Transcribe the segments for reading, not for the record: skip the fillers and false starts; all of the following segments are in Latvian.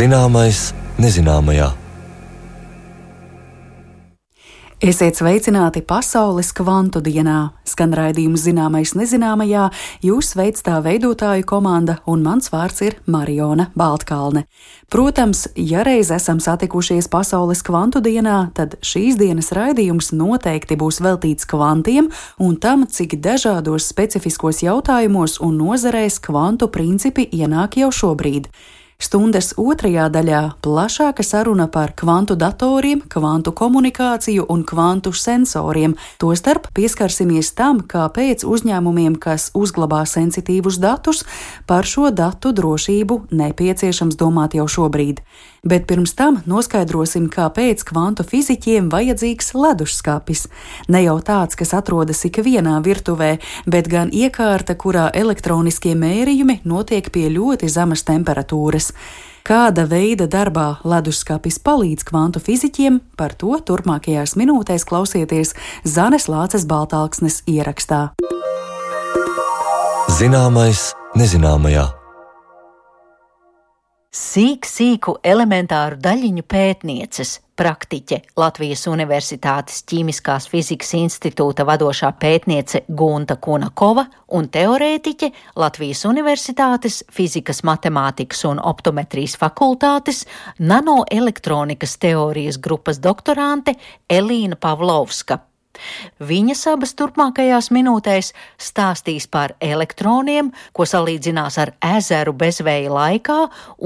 Zināmais nezināmajā. Esiet sveicināti Pasaules kvantu dienā. Skan raidījums Zināmais nezināmajā, jūs veic tā veidotāju komanda, un mans vārds ir Mariona Baltkalne. Protams, ja reiz esam satikušies Pasaules kvantu dienā, tad šīs dienas raidījums noteikti būs veltīts kvantiem un tam, cik dažādos specifiskos jautājumos un nozarēs kvantu principi ienāk jau šobrīd. Stundas otrajā daļā plašāka saruna par kvantu datoriem, kvantu komunikāciju un kvantu sensoriem. Tostarp pieskarsimies tam, kāpēc uzņēmumiem, kas uzglabā sensitīvus datus, par šo datu drošību nepieciešams domāt jau šobrīd. Bet pirms tam noskaidrosim, kāpēc kvantu fiziķiem vajadzīgs leduskapis. Ne jau tāds, kas atrodas ikvienā virtuvē, bet gan iekārta, kurā elektroniskie mērījumi notiek pie ļoti zemas temperatūras. Kāda veida darbā leduskapis palīdz kvantu fiziķiem, par to turpmākajās minūtēs klausieties Zanes Lāces Baltalksnes ierakstā. Zināmais nezināmajā. Sīku elementāru daļiņu pētnieces, praktiķe, Latvijas Universitātes Ķīmiskās fizikas institūta vadošā pētniece Gunta Kunakova un teorētiķe, Latvijas Universitātes Fizikas, matemātikas un optometrijas fakultātes nanoelektronikas teorijas grupas doktorante Elīna Pavlovska. Viņas abas turpmākajās minūtēs stāstīs par elektroniem, ko salīdzinās ar ezeru bezvēja laikā,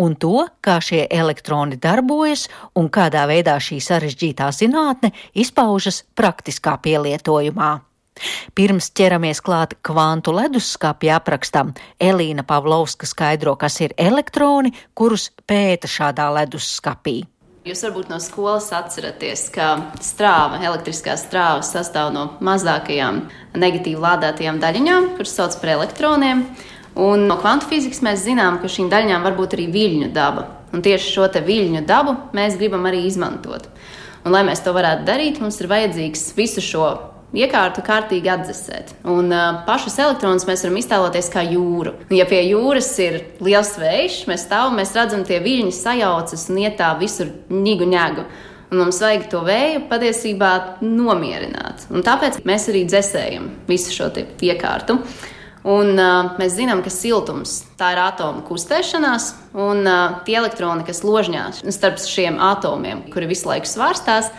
un to, kā šie elektroni darbojas un kādā veidā šī sarežģītā zinātne izpaužas praktiskā pielietojumā. Pirms ķeramies klāt kvantu leduskapja aprakstam, Elīna Pavlovska skaidro, kas ir elektroni, kurus pēta šādā leduskapī. Jūs varbūt no skolas atceraties, ka strāva, elektriskā strāva sastāv no mazākajām negatīvi lādētajām daļiņām, kuras sauc par elektroniem. Un no kvantu fizikas mēs zinām, ka šīm daļiņām var būt arī viļņu daba. Un tieši šo te viļņu dabu mēs gribam arī izmantot. Un, lai mēs to varētu darīt, mums ir vajadzīgs visu šo iekārtu kārtīgi atdzesēt. Un pašus elektronus mēs varam iztēloties kā jūru. Ja pie jūras ir liels vējš, mēs stāvam, mēs redzam, tie viļņi sajaucas un iet tā visur ņigu ņegu. Un mums vajag to vēju patiesībā nomierināt. Un tāpēc mēs arī dzesējam visu šo iekārtu. Un mēs zinām, ka siltums tā ir atomu kustēšanās, un tie elektroni, kas ložņās starp šiem atomiem, kuri visu laiku svārstās,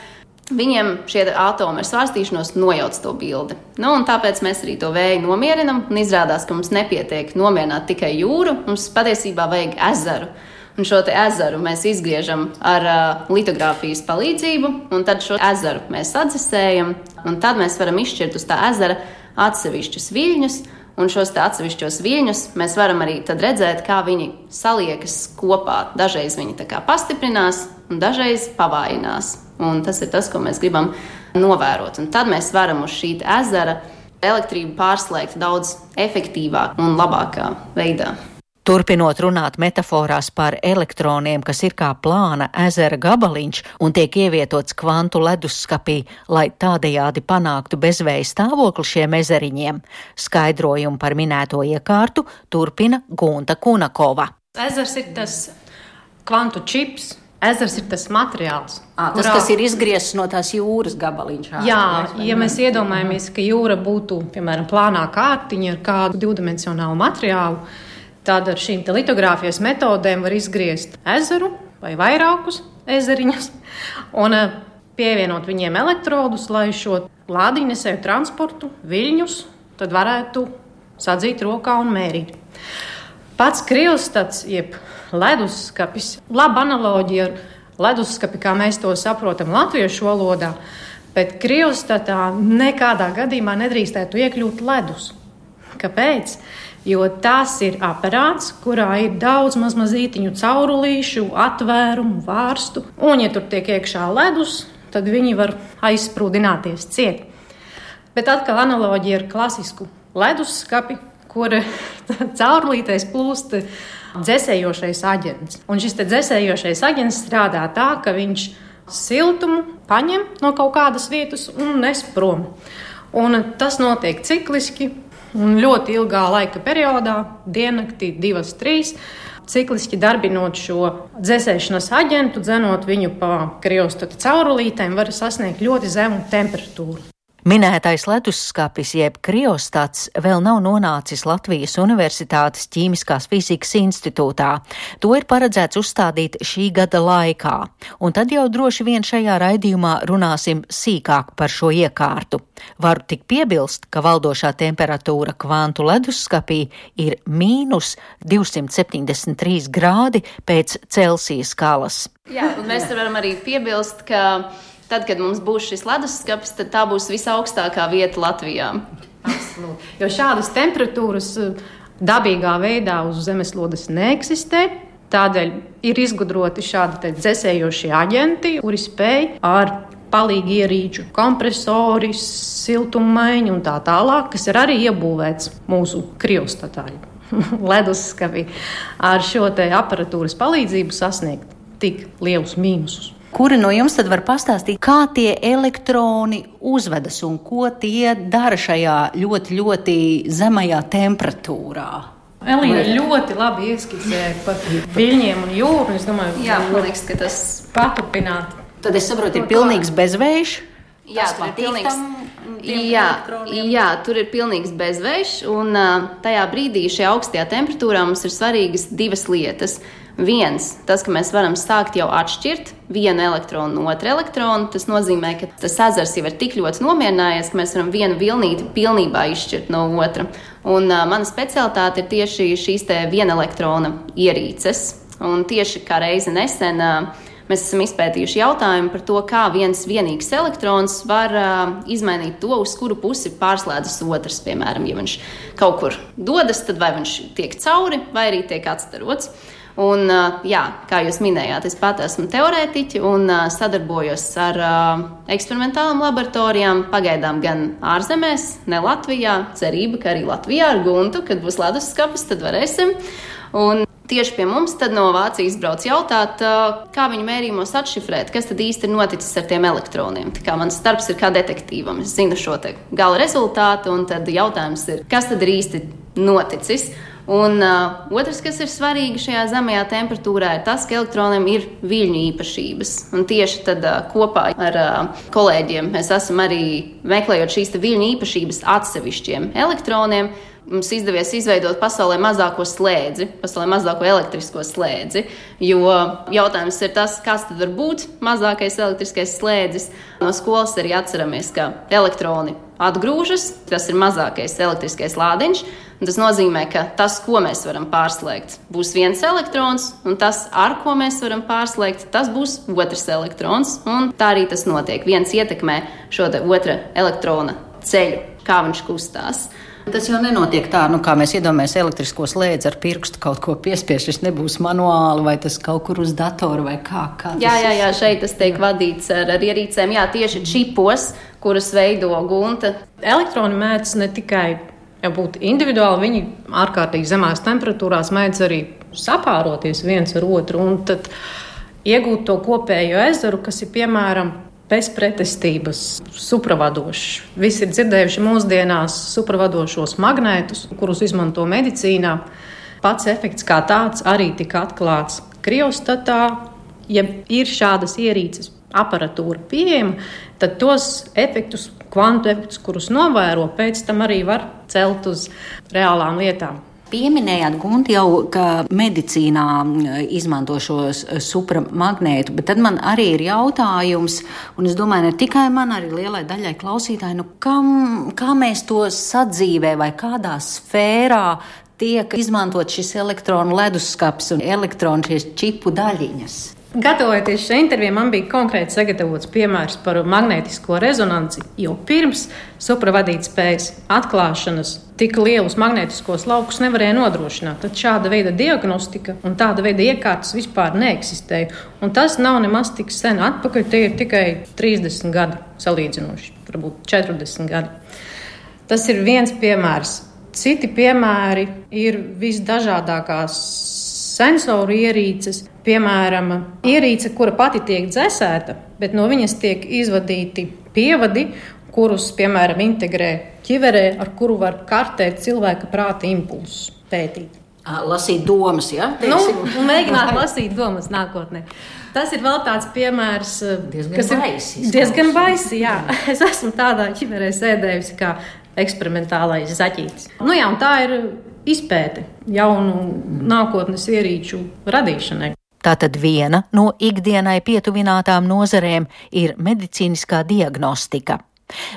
viņiem šie atomi ar svārstīšanos nojauc to bildi. Un tāpēc mēs arī to vēju nomierinam, un izrādās, ka mums nepietiek nomierināt tikai jūru, mums patiesībā vajag ezeru. Un šo te ezeru mēs izgriežam ar litogrāfijas palīdzību, un tad šo ezeru mēs atdzesējam, un tad mēs varam izšķirt uz tā ezera atsevišķus viļņus, un šos te atsevišķos viļņus mēs varam arī tad redzēt, kā viņi saliekas kopā. Dažreiz viņi tā kā pastiprinās, un dažreiz pavājinās. Un tas ir tas, ko mēs gribam novērot. Un tad mēs varam uz šī ezera elektrību pārslēgt daudz efektīvāk un labākā veidā. Turpinot runāt metaforās par elektroniem, kas ir kā plāna ezera gabaliņš un tiek ievietots kvantu leduskapī, lai tādējādi panāktu bezvēja stāvokli šiem ezeriņiem, skaidrojumu par minēto iekārtu turpina Gunta Kunakova. Ezers ir tas kvantu čips. Ezers ir tas materiāls. Tas, kas ir izgriezts no tās jūras gabaliņš. Jā, ja mēs iedomājamies, ka jūra būtu, piemēram, plānā kārtiņa ar kādu divdimensionālu materiālu, tad ar šīm litogrāfijas metodēm var izgriezt ezeru vai vairākus ezeriņus un pievienot viņiem elektrodus, lai šo lādiņnesēju transportu, viļņus, tad varētu sadzīt rokā un mērīt. Pats kriostats, jeb leduskapis, laba analoģija ar leduskapi, kā mēs to saprotam latviešu valodā, bet kriostatā nekādā gadījumā nedrīkstētu iekļūt ledus. Kāpēc? Jo tas ir aparāts, kurā ir daudz mazītiņu caurulīšu, atvērumu, vārstu, un ja tur tiek iekšā ledus, tad viņi var aizsprūdināties ciet. Bet atkal analoģija ar klasisku leduskapi, kur caurulītēs plūst dzesējošais aģents. Un šis dzesējošais aģents strādā tā, ka viņš siltumu paņem no kaut kādas vietas un nes prom. Un tas notiek cikliski. Un ļoti ilgā laika periodā, diennaktī 2-3, cikliski darbinot šo dzēsēšanas aģentu, dzenot viņu pa kriostata caurulītēm, var sasniegt ļoti zemu temperatūru. Minētais leduskapis jeb kriostats vēl nav nonācis Latvijas Universitātes Ķīmiskās fizikas institūtā. To ir paredzēts uzstādīt šī gada laikā, un tad jau droši vien šajā raidījumā runāsim sīkāk par šo iekārtu. Varu tik piebilst, ka valdošā temperatūra kvantu leduskapī ir -273 grādi pēc Celsija skalas. Jā, un mēs varam arī piebilst, ka tad, kad mums būs šis leduskapis, tad tā būs visaugstākā vieta Latvijā. Absolūti. Jo šādas temperatūras dabīgā veidā uz zemeslodes neeksistē. Tādēļ ir izgudroti šādi dzēsējošie aģenti, kuri spēj ar palīgi ierīču, kompresori, siltummaiņu un tā tālāk, kas ir arī iebūvēts mūsu kriostatā leduskapī, ar šo te aparatūras palīdzību sasniegt tik lielus mīnusus. Kuri no jums tad var pastāstīt, kā tie elektroni uzvedas un ko tie dara šajā ļoti, ļoti zemajā temperatūrā? Elīna ļoti labi ieskicēja par viļņiem un jūru. Es domāju, Jā, man liekas, ka tas paturpināt. Tad es saprotu, ir pilnīgs bezvējš. Jā, tur ir pilnīgs. Jā, tur ir pilnīgs bezvējš, un tajā brīdī šajā augstajā temperatūrā mums ir svarīgas divas lietas. Viens, tas, ka mēs varam sākt jau atšķirt vienu elektronu no otra elektrona, tas nozīmē, ka tas ezers jau ir tik ļoti nomierinājies, ka mēs varam vienu vilnīti pilnībā izšķirt no otra. Un mana specialitāte ir tieši šīs te viena elektrona ierīces. Un tieši kā reizi nesen mēs esam izpētījuši jautājumu par to, kā viens vienīgs elektrons var izmainīt to, uz kuru pusi pārslēdzas otrs. Piemēram, ja viņš kaut kur dodas, tad vai viņš tiek cauri, vai arī tiek atstarots. Un, jā, kā jūs minējāt, es pat esmu teorētiķi un sadarbojos ar eksperimentālām laboratorijām, pagaidām gan ārzemēs, ne Latvijā. Cerība, ka arī Latvijā ar Guntu, kad būs leduskapis, tad varēsim. Un tieši pie mums tad no Vācijas brauc jautāt, kā viņu mērījumos atšifrēt, kas tad īsti ir noticis ar tiem elektroniem. Tā kā mans darbs ir kā detektīvam, es zinu šo te gala rezultātu, un tad jautājums ir, kas tad ir īsti noticis. Un otrs, kas ir svarīgi šajā zemajā temperatūrā, ir tas, ka elektroniem ir viļņu īpašības. Un tieši tad kopā ar kolēģiem mēs esam arī meklējot šīs viļņu īpašības atsevišķiem elektroniem. Mums izdevies izveidot pasaulē mazāko slēdzi, pasaulē mazāko elektrisko slēdzi, jo jautājums ir tas, kas tad var būt mazākais elektriskais slēdzis. No skolas arī atceramies, ka elektroni atgrūžas, tas ir mazākais elektriskais lādiņš. Tas nozīmē, ka tas, ko mēs varam pārslēgt, būs viens elektrons, un tas, ar ko mēs varam pārslēgt, tas būs otrs elektrons. Un tā arī tas notiek. Viens ietekmē šo otra elektrona ceļu, kā viņš kustās. Tas jau nenotiek tā, kā mēs iedomājamies elektrisko slēdzi ar pirkstu kaut ko piespiež. Tas nebūs manuāli vai tas kaut kur uz datora vai kā. Jā, šeit tas tiek vadīts ar ierīcēm. Jā, tieši čipos, kurus veido Gunta. Elektroni mēdz ne tikai būt individuāli, viņi ārkārtīgi zemās temperatūrās mēdz arī sapāroties viens ar otru un tad iegūt to kopējo ezeru, kas ir piemēram bez pretestības supravadošs. Visi ir dzirdējuši mūsdienās supravadošos magnētus, kurus izmanto medicīnā. Pats efekts kā tāds arī tika atklāts kriostatā. Ja ir šādas ierīces aparatūra pieejama, tad tos efektus, kvantu efektus, kurus novēro, pēc tam arī var celt uz reālām lietām. Pieminējāt, Gunti, jau, ka medicīnā izmanto šos supramagnētu, bet tad man arī ir jautājums, un es domāju, ne tikai man, arī lielai daļai klausītāji, kā mēs to sadzīvē vai kādā sfērā tiek izmantot šis elektronu leduskapis un elektronu šīs čipu daļiņas? Gatavojoties šai intervijai, man bija konkrēti sagatavots piemērs par magnētisko rezonanci, jo pirms supravadītspējas atklāšanas tik lielus magnētiskos laukus nevarēja nodrošināt. Tad šāda veida diagnostika un tāda veida iekārtas vispār neeksistēja. Un tas nav nemaz tik sen atpakaļ, tie ir tikai 30 gadi salīdzinoši, varbūt 40 gadi. Tas ir viens piemērs. Citi piemēri ir visdažādākās sensoru ierīces, piemēram, ierīce, kura pati tiek dzēsēta, bet no viņas tiek izvadīti pievadi, kurus, piemēram, integrē ķiverē, ar kuru var kartēt cilvēka prāta impulsus, pētīt. Lasīt domas, ja? Mēģināt lasīt domas nākotnē. Tas ir vēl tāds piemērs, diezgan baisi, jā. Es esmu tādā ķiverē sēdējusi kā eksperimentālais zaķītis. Un tā ir izpēte jaunu nākotnes ierīču radīšanai. Tātad viena no ikdienai pietuvinātām nozarēm ir medicīniskā diagnostika.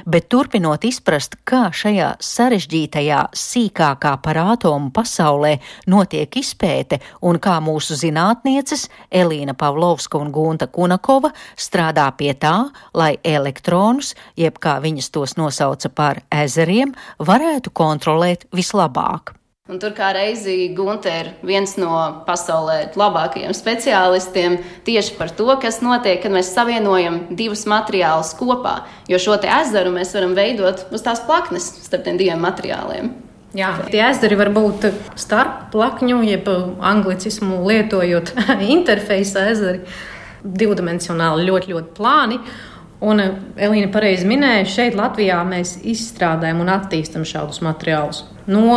Bet turpinot izprast, kā šajā sarežģītajā, sīkākā par ātomu pasaulē notiek izpēte un kā mūsu zinātnieces Elīna Pavlovska un Gunta Kunakova strādā pie tā, lai elektronus, jeb kā viņas tos nosauca par ezeriem, varētu kontrolēt vislabāk. Un tur kā reizi Gunta ir viens no pasaulē labākajiem speciālistiem tieši par to, kas notiek, kad mēs savienojam divus materiālus kopā. Jo šo te ezeru mēs varam veidot uz tās plaknes starp tiem diviem materiāliem. Jā, tie ezeri var būt starp plakņu, jeb anglicismu lietojot interfeisa ezeri, divdimensionāli ļoti, ļoti plāni. Un Elīna pareizi minēja, šeit Latvijā mēs izstrādājam un attīstam šādus materiālus. No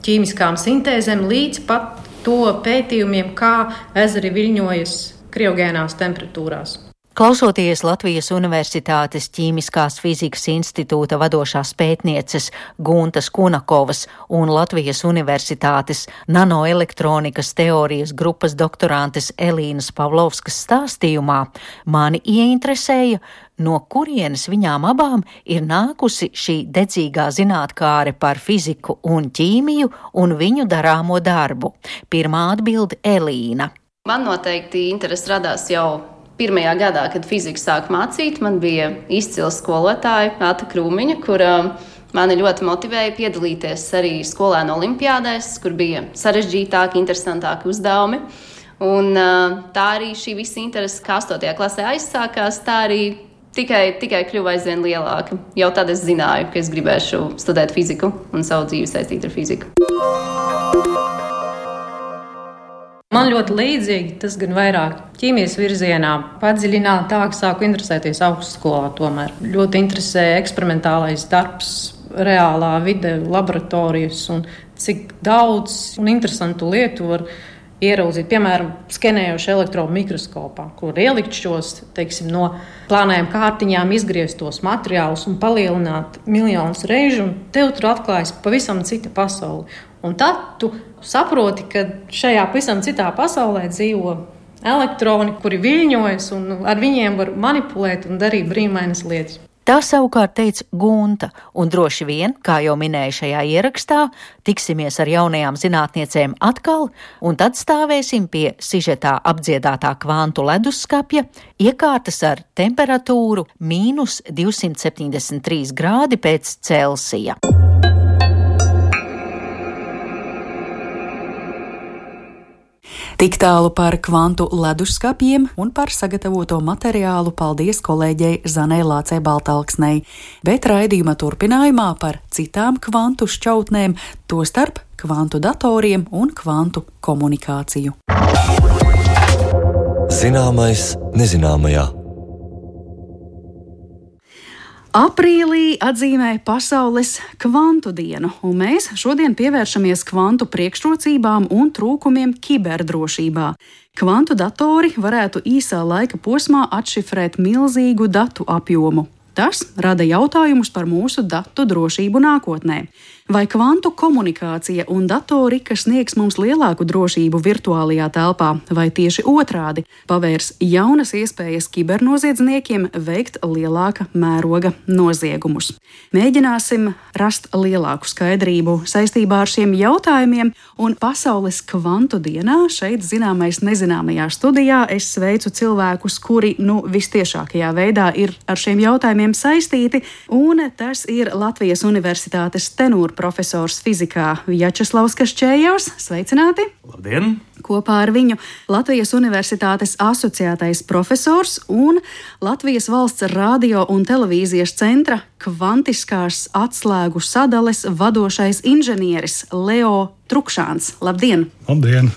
ķīmiskām sintēzēm līdz pat to pētījumiem, kā ezeri viļņojas kriogēnās temperatūrās. Klausoties Latvijas Universitātes Ķīmiskās fizikas institūta vadošās pētnieces Guntas Kunakovas un Latvijas Universitātes nanoelektronikas teorijas grupas doktorantes Elīnas Pavlovskas stāstījumā, mani ieinteresēja, no kurienes viņām abām ir nākusi šī dedzīgā zinātkāre par fiziku un ķīmiju un viņu darāmo darbu. Pirmā atbilde Elīna. Man noteikti interesi radās jau pirmajā gadā, kad fiziku sāku mācīt. Man bija izcils skolotāja Āta Krūmiņa, kura mani ļoti motivēja piedalīties arī skolēnu olimpiādēs, kur bija sarežģītāki, interesantāki uzdevumi. Un tā arī šī visa interese, kā 8. klasē aizsākās, tā arī tikai kļuva aizvien lielāka. Jau tad es zināju, ka es gribēšu studēt fiziku un savu dzīvi saistīt ar fiziku. Man ļoti līdzīgi, tas gan vairāk ķīmijas virzienā padziļinātāk sāku interesēties augstskolā tomēr. Ļoti interesē eksperimentālais darbs, reālā vide, laboratorijas un cik daudz un interesantu lietu var ieraudzīt, piemēram, skenējošu elektronu mikroskopā, kur ielikt šos, no plānējām kārtiņām izgrieztos materiālus un palielināt miljonus reižu, un tev tur atklājas pavisam cita pasaule. Un tad tu saproti, ka šajā pavisam citā pasaulē dzīvo elektroni, kuri viļņojas, un ar viņiem var manipulēt un darīt brīnumainas lietas. Tā savukārt teica Gunta, un droši vien, kā jau minēju šajā ierakstā, tiksimies ar jaunajām zinātniecēm atkal, un tad stāvēsim pie sižetā apdziedātā kvantu leduskapja, iekārtas ar temperatūru -273 grādi pēc Celsija. Tik tālu par kvantu leduskapjiem un par sagatavoto materiālu paldies kolēģei Zanei Lācei Baltalksnei, bet raidījuma turpinājumā par citām kvantu šķautnēm, tostarp kvantu datoriem un kvantu komunikāciju. Zināmais nezināmajā. Aprīlī atzīmē Pasaules kvantu dienu, un mēs šodien pievēršamies kvantu priekšrocībām un trūkumiem kiberdrošībā. Kvantu datori varētu īsā laika posmā atšifrēt milzīgu datu apjomu. Tas rada jautājumus par mūsu datu drošību nākotnē. Vai kvantu komunikācija un datori, kas sniegs mums lielāku drošību virtuālajā telpā, vai tieši otrādi pavērs jaunas iespējas kibernoziedzniekiem veikt lielāka mēroga noziegumus? Mēģināsim rast lielāku skaidrību saistībā ar šiem jautājumiem, un Pasaules kvantu dienā šeit zināmais nezināmajā studijā es sveicu cilvēkus, kuri vistiešākajā veidā ir ar šiem jautājumiem saistīti, un tas ir Latvijas Universitātes tenūra profesors fizikā Vjačeslavs Kašķējevs. Sveicināti! Labdien! Kopā ar viņu Latvijas Universitātes asociētais profesors un Latvijas valsts radio un televīzijas centra kvantiskās atslēgu sadales vadošais inženieris Leo Trukšāns. Labdien! Labdien!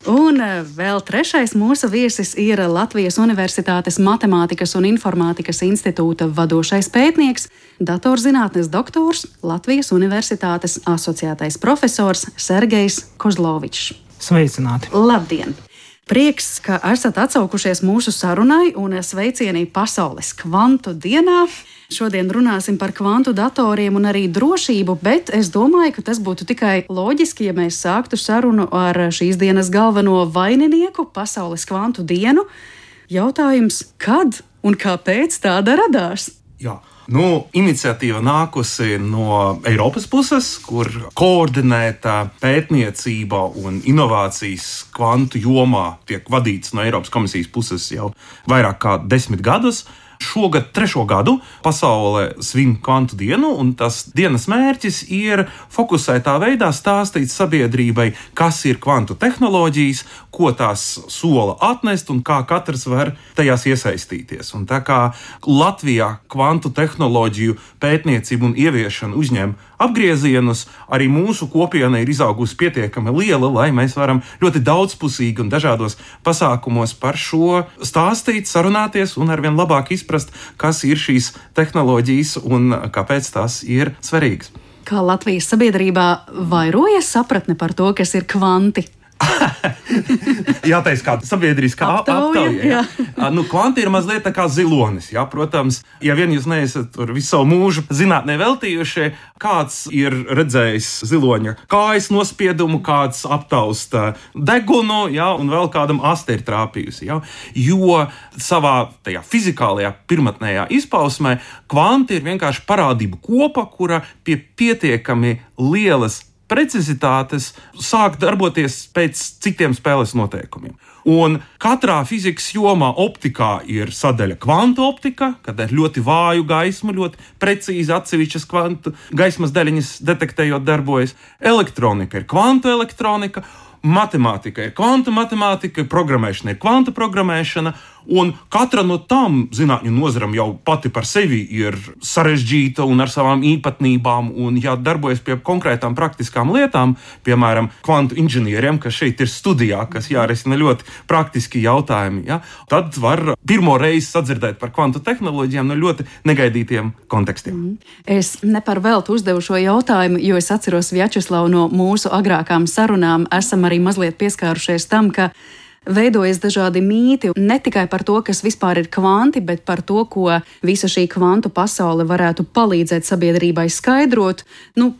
Un vēl trešais mūsu viesis ir Latvijas Universitātes Matemātikas un Informātikas institūta vadošais pētnieks, datorzinātnes doktors, Latvijas Universitātes asociētais profesors Sergejs Kozlovičs. Sveicināti! Labdien! Prieks, ka esat atsaukušies mūsu sarunai un sveicieni Pasaules kvantu dienā. Šodien runāsim par kvantu datoriem un arī drošību, bet es domāju, ka tas būtu tikai loģiski, ja mēs sāktu sarunu ar šīs dienas galveno vaininieku, Pasaules kvantu dienu. Jautājums, kad un kāpēc tāda radās? Jā. Iniciatīva nākusi no Eiropas puses, kur koordinēta pētniecība un inovācijas kvantu jomā tiek vadīts no Eiropas komisijas puses jau vairāk kā 10 gadus. Šogad 3. gadu pasaule svin kvantu dienu, un tas dienas mērķis ir fokusētā veidā stāstīt sabiedrībai, kas ir kvantu tehnoloģijas, ko tās sola atnest un kā katrs var tajās iesaistīties. Un tā kā Latvijā kvantu tehnoloģiju pētniecību un ieviešanu uzņem apgriezienus, arī mūsu kopiena ir izaugusi pietiekami liela, lai mēs varam ļoti daudzpusīgi un dažādos pasākumos par šo stāstīt, sarunāties un arvien labāk izprast, kas ir šīs tehnoloģijas un kāpēc tās ir svarīgas. Kā Latvijas sabiedrībā vairojas sapratne par to, kas ir kvanti? Jāteic, kā sabiedriskā aptauja. Kvanti ir mazliet tā kā zilonis. Jā. Protams, ja vien jūs neesat visu savu mūžu zinātnē veltījušie, kāds ir redzējis ziloņa kājas nospiedumu, kāds aptausta degunu, jā, un vēl kādam asti ir trāpījusi. Jā. Jo savā tajā fizikālajā pirmatnējā izpausmē kvanti ir vienkārši parādību kopa, kura pie pietiekami lielas precizitātes sāk darboties pēc citiem spēles noteikumiem. Un katrā fizikas jomā optikā ir sadaļa kvantu optika, kad ir ļoti vāju gaismu, ļoti precīzi atsevišķas kvantu gaismas daļiņas detektējot darbojas. Elektronika ir kvantu elektronika, matemātika ir kvantu matemātika, programmēšana ir kvantu programmēšana, un katra no tām zinātņu nozaram jau pati par sevi ir sarežģīta un ar savām īpatnībām, un jādarbojas pie konkrētām praktiskām lietām, piemēram, kvantu inženieriem, kas šeit ir studijā, kas jārisina ļoti praktiski jautājumi, ja? Tad var pirmo reizi sadzirdēt par kvantu tehnoloģijām no ļoti negaidītiem kontekstiem. Es ne par velti uzdevu šo jautājumu, jo es atceros Vjačeslavu no mūsu agrākām sarunām, esam arī mazliet pieskārušies tam, ka veidojas dažādi mīti, ne tikai par to, kas vispār ir kvanti, bet par to, ko visa šī kvantu pasaule varētu palīdzēt sabiedrībai skaidrot.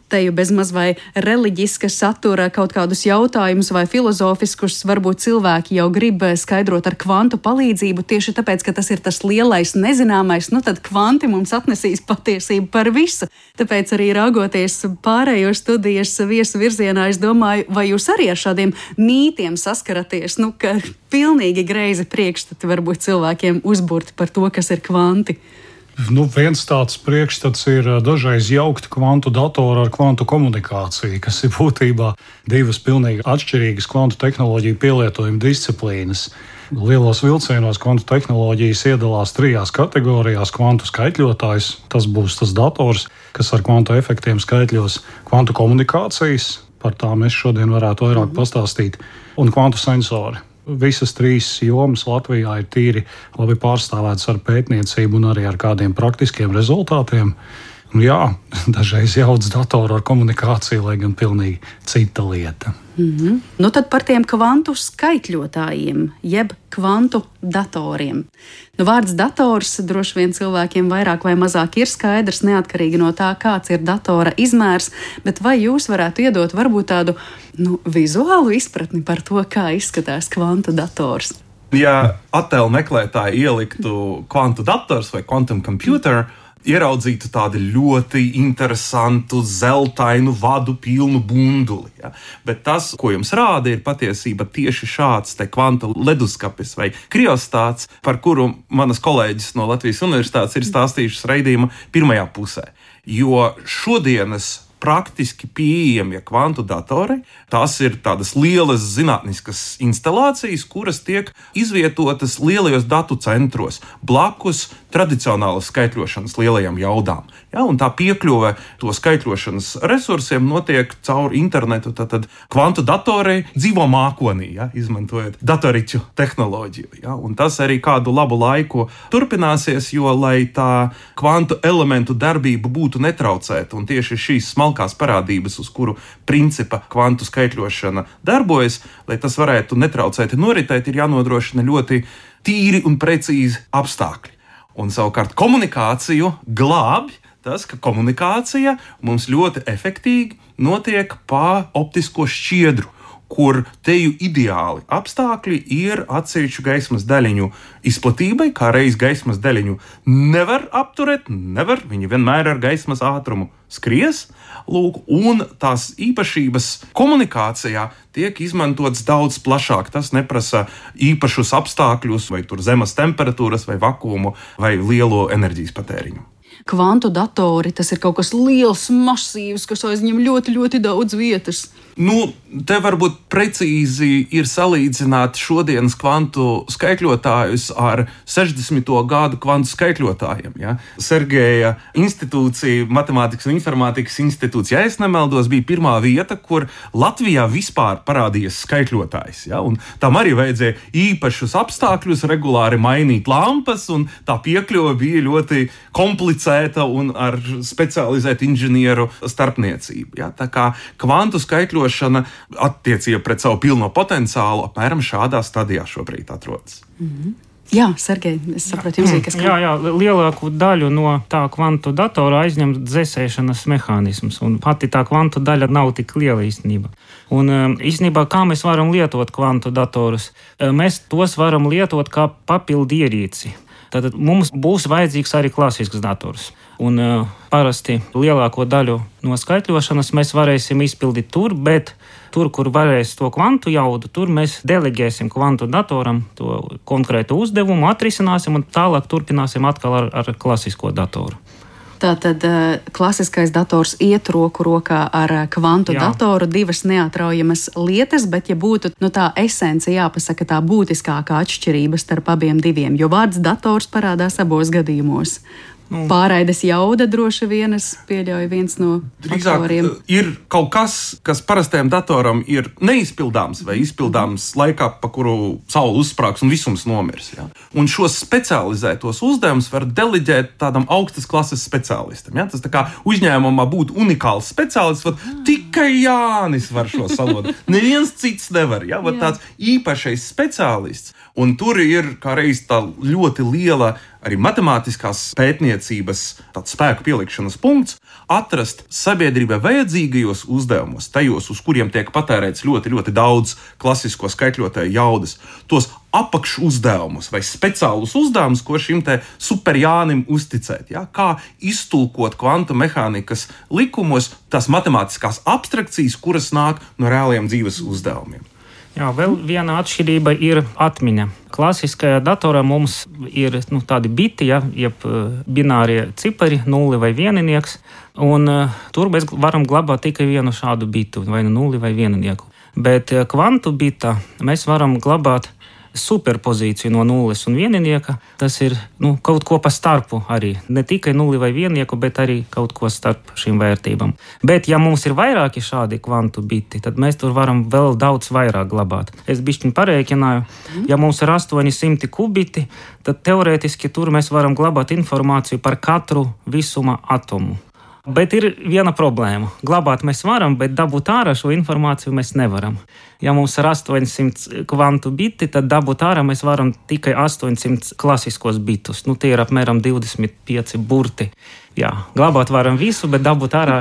Te jau bezmaz vai reliģiska satura kaut kādus jautājumus vai filozofiskus, varbūt cilvēki jau grib skaidrot ar kvantu palīdzību, tieši tāpēc, ka tas ir tas lielais nezināmais, tad kvanti mums atnesīs patiesību par visu. Tāpēc arī raugoties pārējo studijas viesu virzienā, es domāju, vai jūs arī ar šādiem mītiem saskaraties, ka pilnīgi greizi priekšstati varbūt cilvēkiem uzburti par to, kas ir kvanti. Viens tāds priekšstats ir dažreiz jaukt kvantu datoru ar kvantu komunikāciju, kas ir būtībā divas pilnīgi atšķirīgas kvantu tehnoloģiju pielietojuma disciplīnas. Lielos vilcienos kvantu tehnoloģijas iedalās 3 kategorijās: kvantu skaitļotājs, tas būs tas dators, kas ar kvantu efektiem skaitļos, kvantu komunikācijas, par tām es šodien varētu vairāk pastāstīt, un kvantu sensori. Visas 3 jomas Latvijā ir tīri labi pārstāvētas ar pētniecību un arī ar kādiem praktiskiem rezultātiem. Jā, dažreiz jauc datoru ar komunikāciju, lai gan pilnīgi cita lieta. Tad par tiem kvantu skaitļotājiem, jeb kvantu datoriem. Vārds dators droši vien cilvēkiem vairāk vai mazāk ir skaidrs, neatkarīgi no tā, kāds ir datora izmērs, bet vai jūs varētu iedot varbūt tādu vizuālu izpratni par to, kā izskatās kvantu dators? Ja attēlu meklētāji ieliktu kvantu dators vai quantum computer, ieraudzītu tādu ļoti interesantu, zeltainu vadu pilnu bunduli. Ja? Bet tas, ko jums rāda, ir patiesība tieši šāds te kvantu leduskapis vai kriostāts, par kuru manas kolēģis no Latvijas Universitātes ir stāstījušas raidījuma pirmajā pusē. Jo šodienas praktiski pieejamie kvantu datori, tās ir tādas lielas zinātniskas instalācijas, kuras tiek izvietotas lielajos datu centros, blakus tradicionālas skaitļošanas lielajām jaudām. Ja, un tā piekļuve to skaitļošanas resursiem notiek caur internetu. Tad kvantu datori dzīvo mākonī, ja, izmantojot datoriķu tehnoloģiju. Ja, un tas arī kādu labu laiku turpināsies, jo, lai tā kvantu elementu darbība būtu netraucēta, un tieši šīs smalkās parādības, uz kuru principa kvantu skaitļošana darbojas, lai tas varētu netraucēti noritēt, ir jānodrošina ļoti tīri un precīzi apstākļi. Un savukārt komunikāciju glābj tas, ka komunikācija mums ļoti efektīgi notiek pa optisko šķiedru, kur teju ideāli apstākļi ir atsevišķu gaismas daļiņu izplatībai, kā reiz gaismas daļiņu nevar apturēt, viņi vienmēr ar gaismas ātrumu skries, lūk, un tās īpašības komunikācijā tiek izmantots daudz plašāk. Tas neprasa īpašus apstākļus, vai tur zemes temperatūras, vai vakumu, vai lielo enerģijas patēriņu. Kvantu datori, tas ir kaut kas liels, masīvs, kas aizņem ļoti, ļoti daudz vietas. Te varbūt precīzi ir salīdzināt šodienas kvantu skaitļotājus ar 60. gadu kvantu skaitļotājiem. Ja? Sergeja institūcija, Matemātikas un informātikas institūts, ja es nemaldos, bija pirmā vieta, kur Latvijā vispār parādījies skaitļotājs. Ja? Un tam arī vajadzēja īpašus apstākļus, regulāri mainīt lampas, un tā piekļuve bija ļoti komplicēta un ar specializētu inženieru starpniecību. Ja? Tā kā kvantu skaitļošana attiecība pret savu pilno potenciālu apmēram šādā stadijā šobrīd atrodas. Mm-hmm. Jā, Sergej, es saprotu, jums ir kas kā. Jā, lielāku daļu no tā kvantu datora aizņem dzēsēšanas mehānisms, un pati tā kvantu daļa nav tik liela īstenībā. Un īstenībā, kā mēs varam lietot kvantu datorus? Mēs tos varam lietot kā papildu ierīci. Tātad mums būs vajadzīgs arī klasisks dators. Un parasti lielāko daļu no skaitļošanas mēs varēsim izpildīt tur, bet tur, kur varēs to kvantu jaudu, tur mēs delegēsim kvantu datoram to konkrētu uzdevumu, atrisināsim un tālāk turpināsim atkal ar klasisko datoru. Tātad klasiskais dators iet roku rokā ar kvantu datoru, divas neatraujamas lietas, bet ja būtu tā esence jāpasaka tā būtiskākā atšķirība starp abiem diviem, jo vārds dators parādās abos gadījumos. Pārraides jauda droši vien, es pieļauju, viens no faktoriem. Ir kaut kas, kas parastajam datoram ir neizpildāms vai izpildāms laikā, pa kuru saule uzsprāgs un visums nomirs. Ja? Un šos specializētos uzdevumus var deleģēt tādam augstas klases speciālistam. Ja? Tas tā kā uzņēmumā būtu unikāls speciālists, tikai Jānis var šo salodu. Neviens cits nevar. Ja? Tāds īpašais speciālists. Un tur ir kā reiz tā ļoti liela arī matemātiskās pētniecības spēku pielikšanas punkts, atrast sabiedrībai vajadzīgajos uzdevumos, tajos, uz kuriem tiek patērēts ļoti, ļoti daudz klasisko skaitļotāju jaudas, tos apakšu uzdevumus vai speciālus uzdevumus, ko šim te superjānim uzticēt. Ja? Kā iztulkot kvantu mehānikas likumos tās matemātiskās abstrakcijas, kuras nāk no reāliem dzīves uzdevumiem. Jā, vēl viena atšķirība ir atmiņa. Klasiskajā datorā mums ir tādi biti, jeb binārie cipari, nulli vai vieninieks, un tur mēs varam glabāt tikai vienu šādu bitu, vai nulli vai vieninieku. Bet kvantu bitā mēs varam glabāt superpozīciju no nulles un vieninieka. Tas ir kaut ko pa starpu arī. Ne tikai nulli vai viennieku, bet arī kaut ko starp šīm vērtībām. Bet, ja mums ir vairāki šādi kvantu biti, tad mēs tur varam vēl daudz vairāk glabāt. Es bišķiņ parēķināju, ja mums ir 800 kubiti, tad teorētiski tur mēs varam glabāt informāciju par katru visuma atomu. Bet ir viena problēma. Glabāt mēs varam, bet dabūt ārā šo informāciju mēs nevaram. Ja mums ir 800 kvantu biti, tad dabūt ārā mēs varam tikai 800 klasiskos bitus. Tie ir apmēram 25 burti. Jā, glabāt varam visu, bet dabūt ārā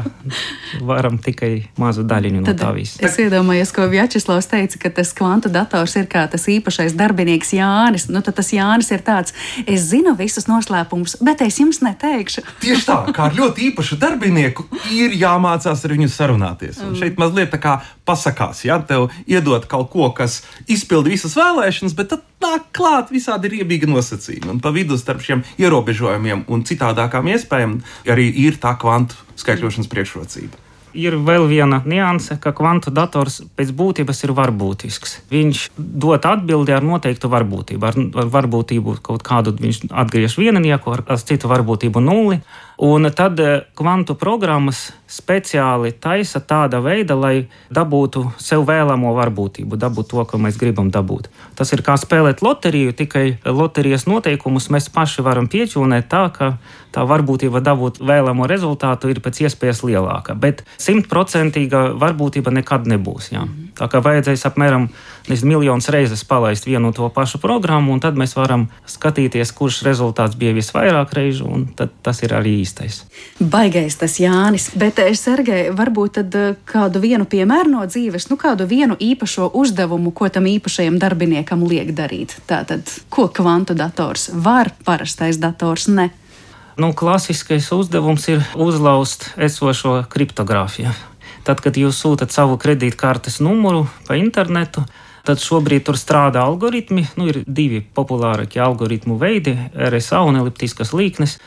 varam tikai mazu daļiņu no tā visa. Es iedomājos, ko Vjačeslavs teica, ka tas kvantu dators ir kā tas īpašais darbinieks Jānis. Tad tas Jānis ir tāds, es zinu visus noslēpumus, bet es jums neteikšu. Tieši tā, kā ar ļoti īpašu darbinieku ir jāmācās ar viņu sarunāties. Un šeit mazliet tā kā pasakās, ja tev iedot kaut ko, kas izpilda visas vēlēšanas, bet tad nāk klāt visādi riebīgi nosacījumi. Un pa vidu starp šiem ierobežojumiem un citādākām iespējām arī ir tā kvantu skaitļošanas priekšrocība. Ir vēl viena nianse, ka kvantu dators pēc būtības ir varbūtisks. Viņš dod atbildi ar noteiktu varbūtību. Ar varbūtību kaut kādu viņš atgriež vieninieku, ar citu varbūtību nulli. Un tad kvantu programmas speciāli taisa tāda veida, lai dabūtu sev vēlamo varbūtību, dabūtu to, ko mēs gribam dabūt. Tas ir kā spēlēt loteriju, tikai loterijas noteikumus mēs paši varam pieķūnēt tā, ka tā varbūtība dabūt vēlamo rezultātu ir pēc iespējas lielāka. Bet 100% varbūtība nekad nebūs. Jā. Tā kā vajadzēs apmēram miljonus reizes palaist vienu to pašu programmu, un tad mēs varam skatīties, kurš rezultāts bija visvairāk reižu, un tad tas ir arī īstais. Baigais tas Jānis, bet Sergej, varbūt tad kādu vienu piemēru no dzīves, kādu vienu īpašo uzdevumu, ko tam īpašajam darbiniekam liek darīt. Tātad, ko kvantu dators var, parastais dators ne? Klasiskais uzdevums ir uzlauzt esošo kriptogrāfiju. Tad, kad jūs sūtat savu kredītkartes numuru pa internetu, tad šobrīd tur strādā algoritmi. Ir 2 populārākie algoritmu veidi – RSA un eliptiskas līknes.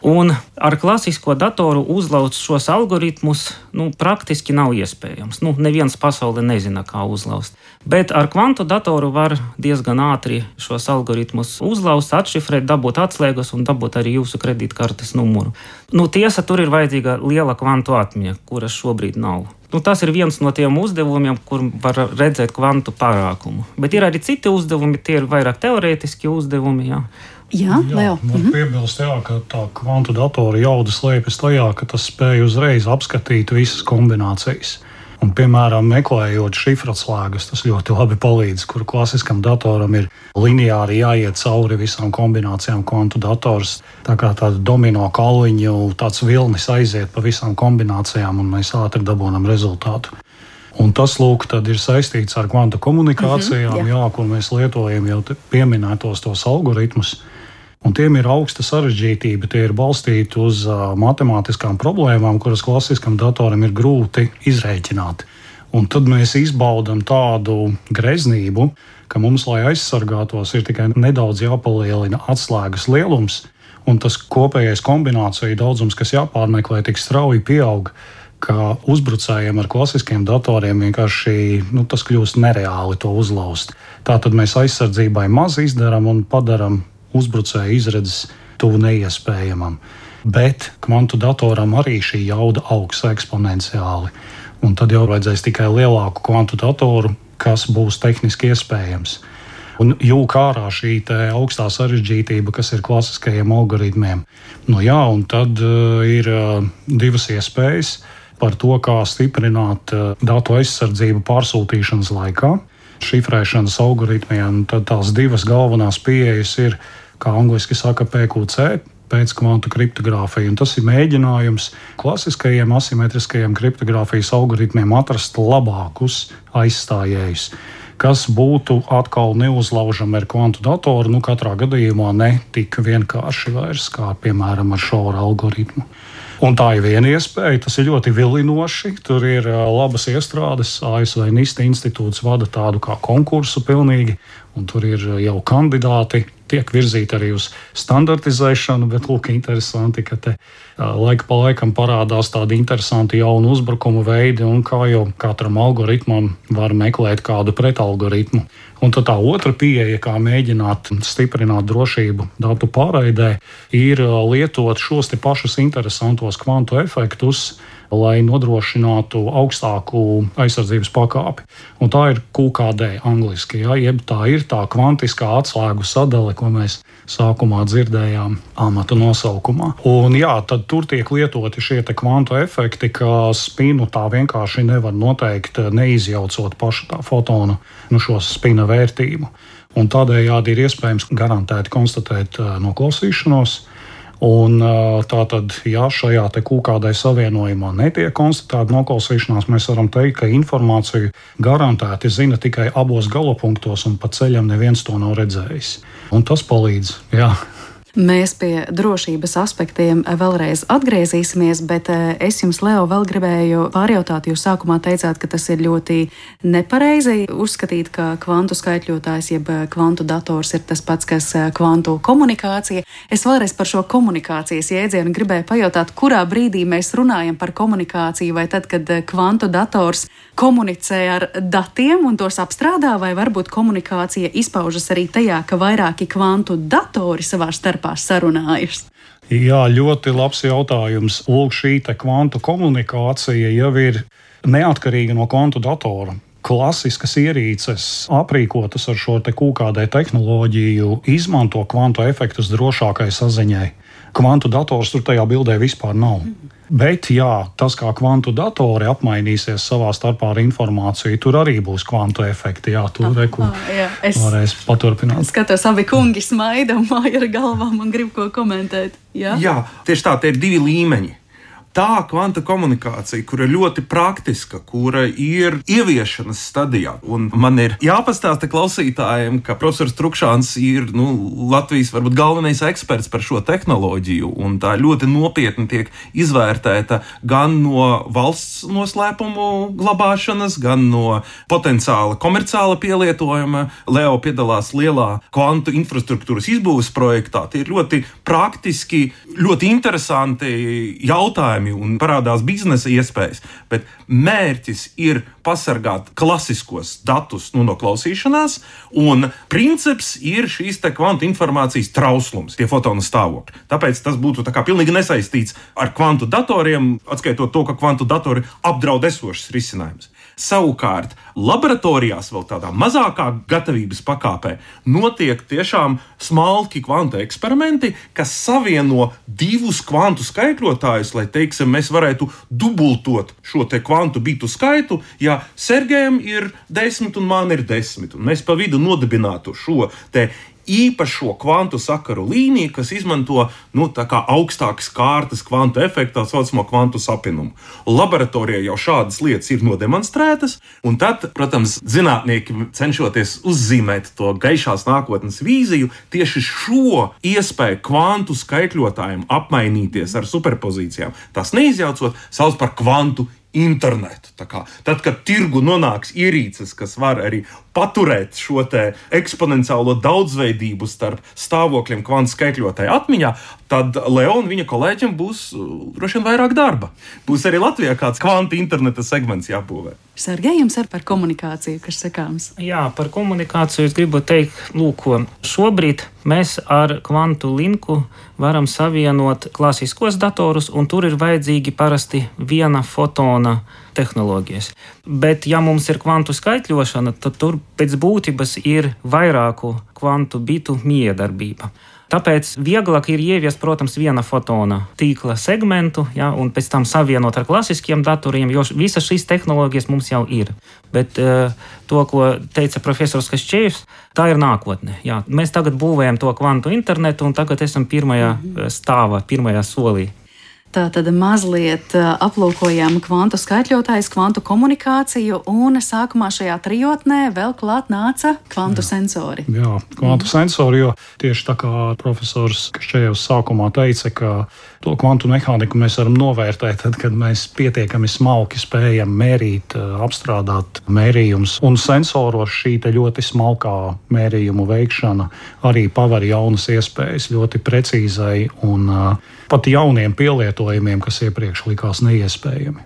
Un ar klasisko datoru uzlauzt šos algoritmus praktiski nav iespējams. Neviens pasaulē nezina, kā uzlauzt. Bet ar kvantu datoru var diezgan ātri šos algoritmus uzlauzt, atšifrēt, dabūt atslēgas un dabūt arī jūsu kredītkartes numuru. Tiesa, tur ir vajadzīga liela kvantu atmiņa, kuras šobrīd nav. Tas ir viens no tiem uzdevumiem, kur var redzēt kvantu pārākumu. Bet ir arī citi uzdevumi, tie ir vairāk teorētiski uzdevumi. Jā, Leo. Man piebilst, ka tā kvantu datora jauda slēpjas tajā, ka tas spēj uzreiz apskatīt visas kombinācijas. Un, piemēram, meklējot šifratslēgas, tas ļoti labi palīdz, kur klasiskam datoram ir lineāri jāiet cauri visām kombinācijām. Kvantu dators tā kā tāda domino kalniņu, tāds vilnis aiziet pa visām kombinācijām, un mēs ātri dabūnam rezultātu. Un tas, tad ir saistīts ar kvantu komunikācijām, kur mēs lietojam jau pieminētos tos algoritmus. Un tiem ir augsta sarežģītība, tie ir balstīti uz matemātiskām problēmām, kuras klasiskam datoram ir grūti izrēķināt. Un tad mēs izbaudam tādu greznību, ka mums, lai aizsargātos, ir tikai nedaudz jāpalielina atslēgas lielums, un tas kopējais kombināciju daudzums, kas jāpārmeklē, tik strauji pieaug, ka uzbrucējiem ar klasiskiem datoriem vienkārši tas kļūst nereāli to uzlauzt. Tātad mēs aizsardzībai maz izdaram un padaram uzbrucēju izredzes tuvu neiespējamam. Bet kvantu datoram arī šī jauda augs eksponenciāli. Un tad jau vajadzēs tikai lielāku kvantu datoru, kas būs tehniski iespējams. Un jūk ārā šī augstā sarežģītība, kas ir klasiskajiem algoritmiem. Un tad ir 2 iespējas par to, kā stiprināt datu aizsardzību pārsūtīšanas laikā. Šifrēšanas algoritmiem tad tās 2 galvenās pieejas ir, kā angliski saka, PQC, pēc kvantu kriptogrāfija. Un tas ir mēģinājums klasiskajiem asimetriskajiem kriptogrāfijas algoritmiem atrast labākus aizstājējus, kas būtu atkal neuzlaužami ar kvantu datoru, katrā gadījumā ne tik vienkārši vairs, kā piemēram ar Shora algoritmu. Un tā ir viena iespēja, tas ir ļoti vilinoši. Tur ir labas iestrādes, ASV NIST institūts vada tādu kā konkursu pilnīgi, un tur ir jau kandidāti, tiek virzīti arī uz standartizēšanu, bet interesanti, ka te laika pa laikam parādās tādi interesanti jauni uzbrukumu veidi, un kā jau katram algoritmam var meklēt kādu pretalgoritmu. Un tad tā otra pieeja, kā mēģināt stiprināt drošību datu pārraidē, ir lietot šos te pašus interesantos kvantu efektus, lai nodrošinātu augstāku aizsardzības pakāpi. Un tā ir QKD angliski, jeb tā ir tā kvantiskā atslēgu sadale, ko mēs sākumā dzirdējām amata nosaukumā. Un tad tur tiek lietoti šie te kvantu efekti, ka spinu tā vienkārši nevar noteikt, neizjaucot pašu tā fotonu šo spina vērtību. Un tādējādi ir iespējams garantēti konstatēt noklausīšanos. Un tātad, ja šajā QKD savienojumā netiek konstatēta noklausīšanās, mēs varam teikt, ka informāciju garantēti zina tikai abos galapunktos, un pa ceļam neviens to nav redzējis. Un tas palīdz, Mēs pie drošības aspektiem vēlreiz atgriezīsimies, bet es jums, Leo, vēl gribēju pārjautāt. Jūs sākumā teicāt, ka tas ir ļoti nepareizi uzskatīt, ka kvantu skaitļotājs jeb kvantu dators ir tas pats, kas kvantu komunikācija. Es vēlreiz par šo komunikācijas jēdzienu gribēju pajautāt, kurā brīdī mēs runājam par komunikāciju, vai tad, kad kvantu dators komunicē ar datiem un tos apstrādā, vai varbūt komunikācija izpaužas arī tajā, ka vairāki kvantu datori savā starpā starpā sarunājas? Jā, ļoti labs jautājums. Lūk, šī kvantu komunikācija jau ir neatkarīga no kvantu datora. Klasiskas ierīces, aprīkotas ar šo QKD tehnoloģiju, izmanto kvantu efektus drošākai saziņai. Kvantu dators tur tajā bildē vispār nav. Bet, jā, tas, kā kvantu datori apmainīsies savā starpā ar informāciju, tur arī būs kvantu efekti. Jā, tur varēs paturpināt. Skatos, abi kungi smaida un māja ar galvām un grib ko komentēt. Jā, tieši tā, tie ir divi līmeņi. Tā kvanta komunikācija, kura ir ļoti praktiska, kura ir ieviešanas stadijā. Un man ir jāpastāsta klausītājiem, ka profesors Trukšāns ir Latvijas varbūt galvenais eksperts par šo tehnoloģiju. Un tā ļoti nopietni tiek izvērtēta gan no valsts noslēpumu glabāšanas, gan no potenciāla komerciāla pielietojuma. Leo piedalās lielā kvantu infrastruktūras izbūves projektā. Tie ir ļoti praktiski, ļoti interesanti jautājumi. Un parādās biznesa iespējas, bet mērķis ir pasargāt klasiskos datus no klausīšanās, un princips ir šīs kvantu informācijas trauslums, tie fotonu stāvokļi. Tāpēc tas būtu pilnīgi nesaistīts ar kvantu datoriem, atskaitot to, ka kvantu datori apdraud esošas risinājumus. Savukārt, laboratorijās vēl tādā mazākā gatavības pakāpē notiek tiešām smalki kvantu eksperimenti, kas savieno divus kvantu skaitļotājus, lai, mēs varētu dubultot šo kvantu bitu skaitu, ja Sergejam ir 10 un man ir 10, un mēs pa vidu nodibinātu šo īpašo kvantu sakaru līniju, kas izmanto augstākas kārtas kvantu efektu, tā saucamo kvantu sapinumu. Laboratorijā jau šādas lietas ir nodemonstrētas, un tad, protams, zinātnieki cenšoties uzzīmēt to gaišās nākotnes vīziju, tieši šo iespēju kvantu skaitļotājiem apmainīties ar superpozīcijām, tas neizjaucot, sauc par kvantu internetu. Tad, kad tirgu nonāks ierīces, kas var arī paturēt šo eksponenciālo daudzveidību starp stāvokļiem kvantu skaitļotāju atmiņā, tad Leo un viņa kolēģiem būs droši vien vairāk darba. Būs arī Latvijā kāds kvantu interneta segments jābūvē. Sergej, jums ir par komunikāciju, kas sakāms? Jā, par komunikāciju es gribu teikt, šobrīd mēs ar kvantu linku varam savienot klasiskos datorus, un tur ir vajadzīgi parasti viena fotona tehnoloģijas. Bet, ja mums ir kvantu skaitļošana, tad tur pēc būtības ir vairāku kvantu bitu miedarbība. Tāpēc vieglāk ir ieviest, protams, viena fotona tīkla segmentu, un pēc tam savienot ar klasiskiem datoriem, jo visas šīs tehnoloģijas mums jau ir. Bet to, ko teica profesors Kašķējevs, tā ir nākotne. Mēs tagad būvējam to kvantu internetu, un tagad esam pirmajā stāvā, pirmajā solī. Tātad mazliet aplūkojām kvantu skaitļotājus, kvantu komunikāciju, un sākumā šajā trijotnē vēl klāt nāca kvantu sensori. Jā, kvantu sensori, jo tieši tā kā profesors Kašķējevs sākumā teica, ka to kvantu mehāniku mēs varam novērtēt, tad, kad mēs pietiekami smalki spējam mērīt, apstrādāt mērījumus. Un sensoros šī ļoti smalkā mērījumu veikšana arī paver jaunas iespējas ļoti precīzai un pat jauniem pielietojumiem, kas iepriekš likās neiespējami.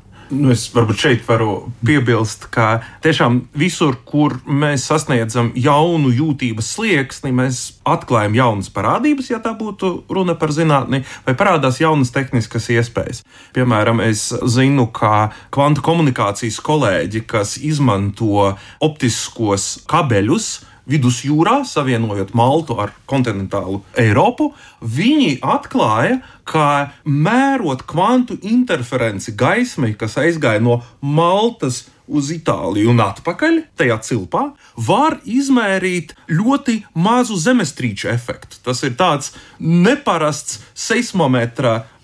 Es varbūt šeit varu piebilst, ka tiešām visur, kur mēs sasniedzam jaunu jūtības slieksni, mēs atklājam jaunas parādības, ja tā būtu runa par zinātni, vai parādās jaunas tehniskas iespējas. Piemēram, es zinu, ka kvantu komunikācijas kolēģi, kas izmanto optiskos kabeļus vidusjūrā, savienojot Maltu ar kontinentālu Eiropu, viņi atklāja, ka mērot kvantu interferenci gaismai, kas aizgāja no Maltas uz Itāliju un atpakaļ, tajā cilpā, var izmērīt ļoti mazu zemestrīču efektu. Tas ir tāds neparasts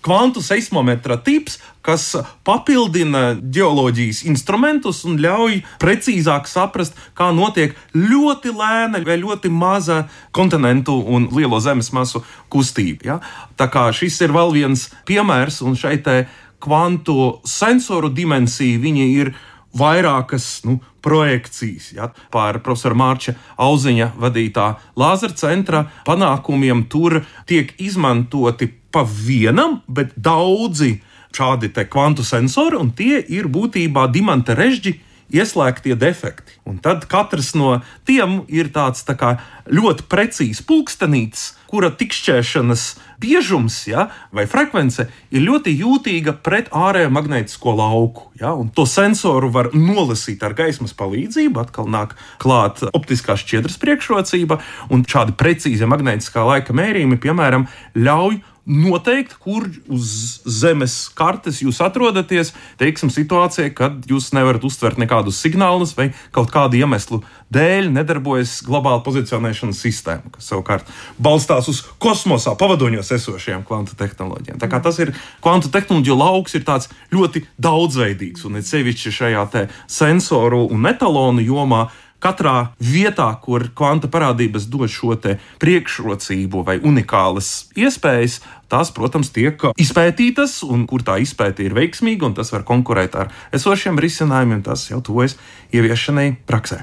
kvantu seismometra tips, kas papildina ģeoloģijas instrumentus un ļauj precīzāk saprast, kā notiek ļoti lēna vai ļoti maza kontinentu un lielo zemes masu kustība. Tā kā šis ir vēl viens piemērs, un šai kvantu sensoru dimensija viņi ir vairākas projekcijas. Par profesora Mārča Auziņa vadītā Lāzera centra panākumiem tur tiek izmantoti pa vienam, bet daudzi šādi kvantu sensori, un tie ir būtībā dimanta režģi ieslēgtie defekti. Un tad katrs no tiem ir tāds tā kā ļoti precīzs pulkstenītis, kura tikšķēšanas biežums, vai frekvence ir ļoti jūtīga pret ārējo magnētisko lauku. Un to sensoru var nolasīt ar gaismas palīdzību, atkal nāk klāt optiskās šķiedras priekšrocība, un šādi precīzi magnētiskā laika mērījumi, piemēram, ļauj noteikt, kur uz Zemes kartes jūs atrodaties, teiksim, situācijā, kad jūs nevarat uztvert nekādus signālus vai kaut kādu iemeslu dēļ nedarbojas globāla pozicionēšanas sistēma, kas savukārt balstās uz kosmosā pavadoņos esošajām kvantu tehnoloģijām. Tā kā tas ir kvantu tehnoloģiju lauks, ir tāds ļoti daudzveidīgs, un ir sevišķi šajā te sensoru un etalonu jomā. Katrā vietā, kur kvanta parādības dod šo te priekšrocību vai unikālas iespējas, tās, protams, tiek izpētītas, un kur tā izpēta ir veiksmīga, un tas var konkurēt ar esošiem risinājumiem, tas jau tuvojas ieviešanai praksē.